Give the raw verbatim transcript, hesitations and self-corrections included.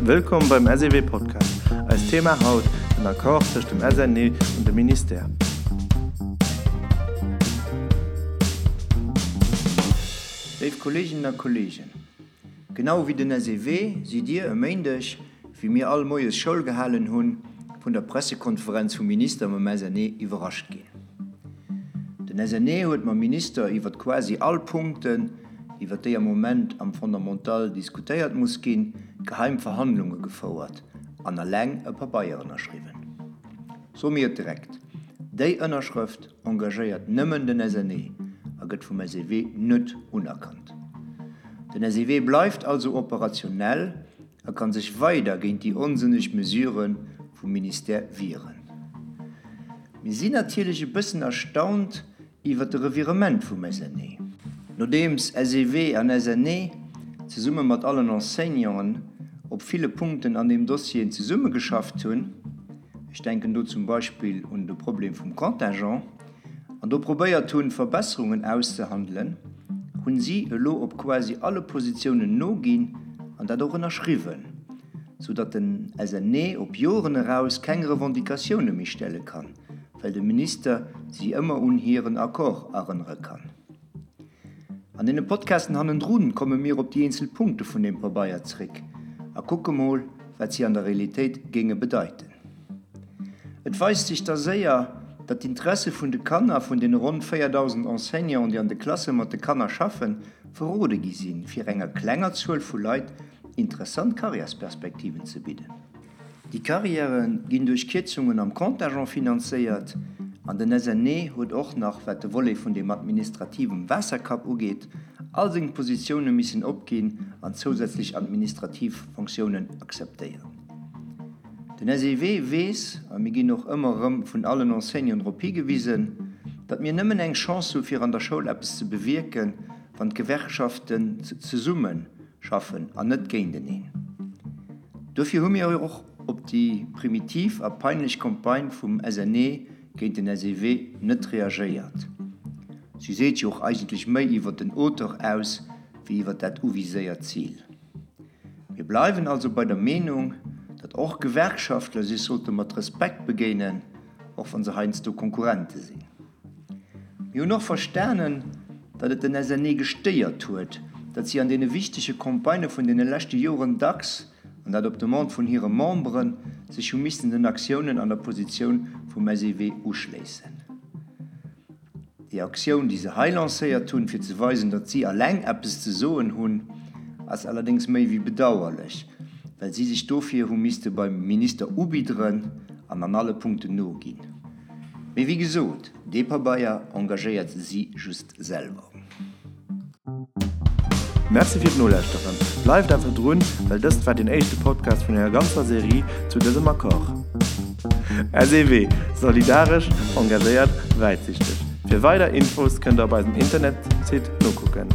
Wëllkomm beim SEW Podcast. Eist Thema haut, den Accord tëscht dem SNE an dem Ministère. Léif Kolleeginnen a Kolleegen, genau wéi den SEW sidd Dir e Méindeg, wéi mir all moies Schoul gehalen hunn, vun der Pressekonferenz vum Minister mam SNE iwwerrascht ginn. Den SNE huet mam Minister iwwert quasi all Punkten, iwwert déi am Moment am Fondamental diskutéiert muss ginn, geheim Verhandlunge gefouert an eleng e Pabeier ënnerschriwwen. Soe mir et direkt, Déi Ënnerschrëft engagéiert nëmmen den SNE a gëtt vum SEW net unerkannt. Den SEW bleift also operationell a ka sech weider géint déi onsënneg Mesurë vum Ministère wieren. Mir sinn natierlech e bëssen erstaunt iwwert de Revirement vum SNE. Nodeems SEW an SNE zesumme mat allen Enseignanten op ville Punkten an deem Dossier zesummegeschafft hunn, ech denken do zum Beispill un de Problem vum Contingent, an do probéiert hunn, Verbesserungen auszehandelen, hunn si elo op quasi alle Positiounen noginn an dat och ënnerschriwwen, soudatt den SNE op Joren eraus keng Revendicatioune méi stelle kann, well de Minister si ëmmer un hiren Accord erënnere kann. An deene Podcasten hannendrun komme mir op déi eenzel Punkte vun deem Pabeier zréck a kucke mol, wat si an der Realitéit géinge bedeiten. Et weist sech da séier, datt d'Interesse vun de Kanner, vun deene ronn véierdausend Enseignanten, déi an de Klasse mat de Kanner schaffen, verrode gi sinn, fir enger klenger Zuel vu Leit interessant Karriärsperspektiven ze bidden. Déi Karriäre ginn duerch Kierzungen am Contingent finanzéiert an den SNE huet och nach, wat de Volet vun deem administrativem Waasserkapp ugeet, all seng Positioune missen opginn an zousätzlech administrativ Fonctiounen akzeptéieren. Den SEW weess, a mir ginn och ëmmer erëm vun allen Enseignanten drop higewisen, datt mir nëmmen eng Chance hu fir an der Schoul eppes ze bewierken, wann d'Gewerkschaften zesumme schaffen an net géinteneen. Dofir hu mir och op déi primitiv a peinlech Campagne vum SNE géint den SEW net reagéiert. Si seet jo och eigentlech méi iwwer den Auteur aus wéi iwwer dat uviséiert Zil. Mir bleiwen also bei der Meenung, datt och Gewerkschaftler sech sollte mat Respekt begéinen, och wa se heiansdo Konkurrente sinn. Mir hunn och verstanen, datt et den SNE gestéiert huet, datt si an deene wichtege Campagnë vun deene leschte Joren dacks, an dat op Demande vun hire Memberen, sech hu missten den Aktiounen an der Positioun vum SEW uschléissen. Déi Aktioun, déi se hei lancéiert hunn, fir ze weisen, datt si eleng eppes ze soen hunn, ass allerdéngs méi wéi bedauerlech, well si sech dofir hu misste beim Minister ubidderen an an alle Punkten noginn. Mee wéi gesot, dee Pabeier engagéiert si just selwer. Merci fir d'Nolauschteren. Bleift einfach drun, well dëst war den éischte Podcast vun enger ganzer Serie zu dësem Accord. SEW, Solidaresch, engagéiert, wäitsichteg. Fir weider Infos kënnt der op eisem Internetsite nokucken.